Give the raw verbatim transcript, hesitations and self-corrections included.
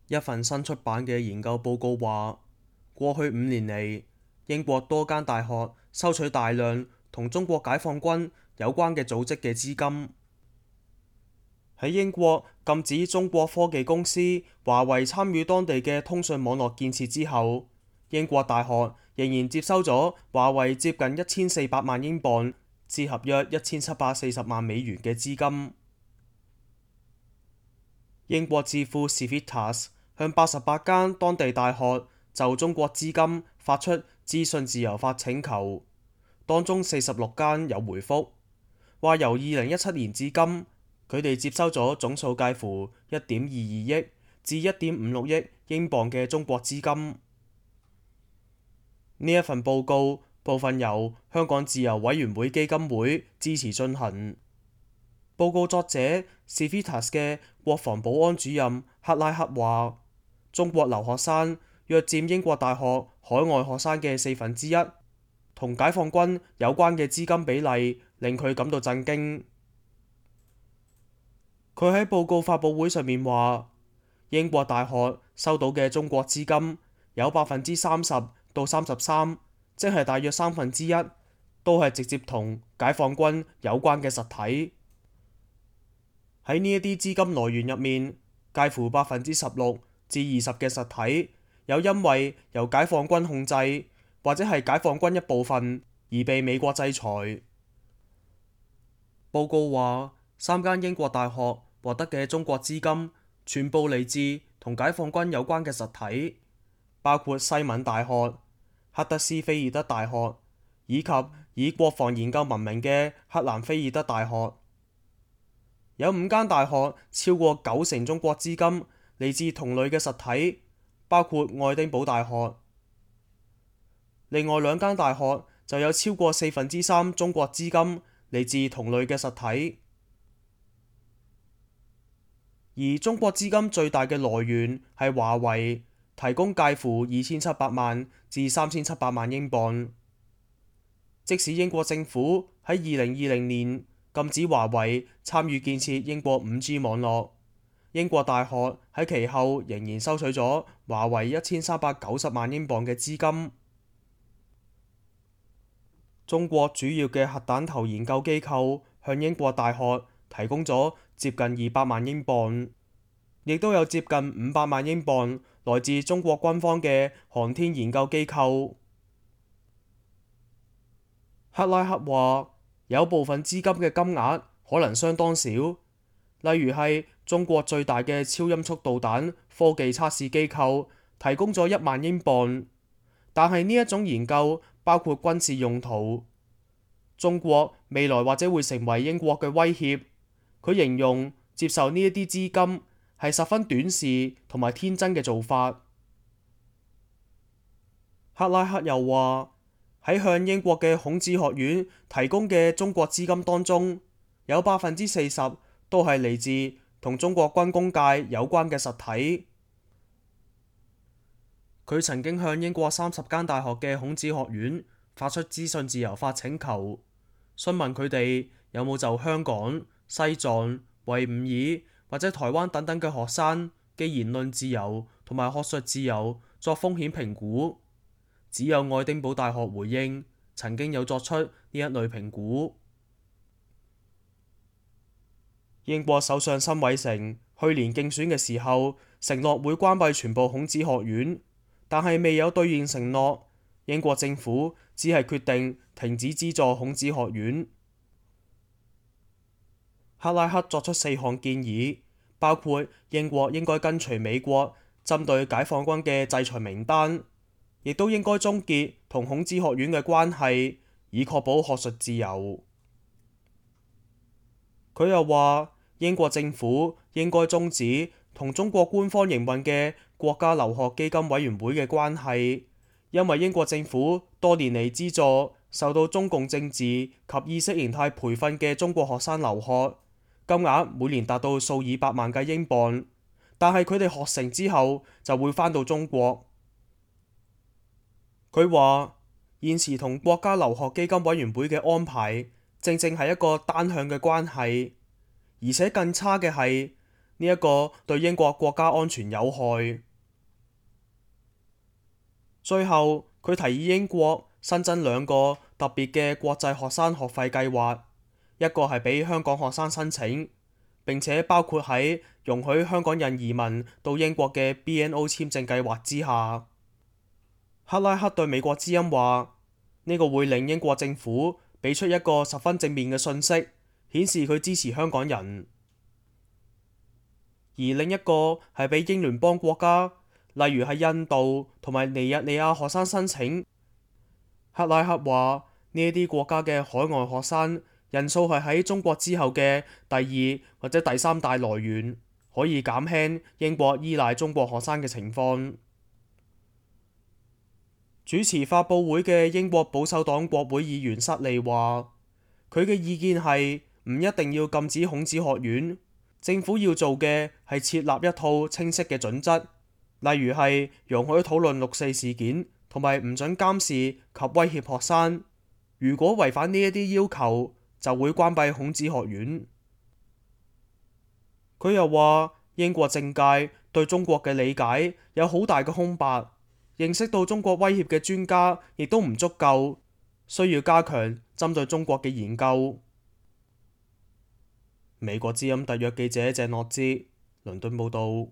一份新出版嘅研究報告話，過去五年嚟，英國多間大學收取大量同中國解放軍有關嘅組織嘅資金。喺英國禁止中國科技公司華為參與當地嘅通訊網絡建設之後，英國大學仍然接收咗華為接近一千四百萬英鎊，折合約一千七百四十萬美元嘅資金。英國智庫 Civitas 向八十八間當地大學就中國資金發出資訊自由法請求，當中四十六間有回覆，話由二零一七年至今，佢哋接收咗總數介乎一點二二億至一點五六億英鎊嘅中國資金。呢一份報告部分由香港自由委員會基金會支持進行。報告作者 Civitas 嘅國防保安主任克拉克話，中國留學生約佔英國大學海外學生嘅四分之一，同解放軍有關嘅資金比例令佢感到震驚。佢喺報告發佈會上面話，英國大學收到嘅中國資金有百分之三十到三十三，即係大約三分之一，都係直接同解放軍有關嘅實體。喺呢一啲資金來源入面，介乎百分之十六至二十嘅實體有因為由解放軍控制或者係解放軍一部分而被美國制裁。報告話，三間英國大學獲得嘅中國資金全部嚟自同解放軍有關嘅實體，包括西敏大學、赫德斯菲爾德大學以及以國防研究聞名嘅克蘭菲爾德大學。有五間大學超過九成中國資金嚟自同類嘅實體，包括愛丁堡大學。另外兩間大學就有超過四分之三中國資金嚟自同類嘅實體。而中國資金最大嘅來源係華為，提供介乎二千七百萬至三千七百萬英鎊。即使英國政府喺二零二零年禁止華為參與建設英國五 G 網絡，英國大學喺其後仍然收取咗華為一千三百九十萬英鎊嘅資金。中國主要嘅核彈頭研究機構向英國大學提供咗接近二百萬英鎊，亦都有接近五百萬英鎊來自中國軍方嘅航天研究機構。克拉克話，有部分資金嘅金額可能相當少，例如係中國最大嘅超音速導彈科技測試機構提供咗一萬英鎊，但係呢一種研究包括軍事用途。中國未來或者會成為英國嘅威脅。佢形容接受呢一啲資金係十分短視同埋天真嘅做法。克拉克又話，喺向英國嘅孔子學院提供嘅中國資金當中，有百分之四十都係嚟自同中國軍工界有關嘅實體。佢曾經向英國三十間大學嘅孔子學院發出資訊自由法請求，詢問佢哋有冇就香港、西藏、維吾爾或者台灣等等嘅學生嘅言論自由同埋學術自由作風險評估。只有愛丁堡大學回應曾經有作出呢一類評估。英國首相辛偉誠去年競選嘅時候承諾會關閉全部孔子學院，但係未有兌現承諾。英國政府只係決定停止資助孔子學院。克拉克作出四項建議，包括英國應該跟隨美國針對解放軍嘅制裁名單，亦都應該終結同孔子學院嘅關係，以確保學術自由。佢又話，英國政府應該終止同中國官方營運嘅國家留學基金委員會嘅關係，因為英國政府多年嚟資助受到中共政治及意識形態培訓嘅中國學生留學，金額每年達到數以百萬計英鎊，但係佢哋學成之後就會返到中國。佢話，現時同國家留學基金委員會嘅安排正正係一個單向嘅關係，而且更差嘅係呢一個對英國國家安全有害。最後，佢提議英國新增兩個特別嘅國際學生學費計劃，一個係俾香港學生申請，並且包括喺容許香港人移民到英國嘅 B N O 簽證計劃之下。克拉克對美國之音話：呢個會令英國政府俾出一個十分正面嘅訊息，顯示佢支持香港人。而另一個係俾英聯邦國家，例如係印度同埋尼日利亞學生申請。克拉克話：呢一啲國家嘅海外學生人數係喺中國之後嘅第二或者第三大來源，可以減輕英國依賴中國學生嘅情況。主持發佈會嘅英國保守黨國會議員塞利話：佢嘅意見係唔一定要禁止孔子學院，政府要做嘅係設立一套清晰嘅準則，例如係容許討論六四事件，同埋唔准監視及威脅學生。如果違反呢一啲要求，就會關閉孔子學院。佢又話：英國政界對中國嘅理解有好大嘅空白，認識到中國威脅嘅專家亦都唔足夠，需要加強針對中國嘅研究。美國之音特約記者鄭諾之倫敦報道。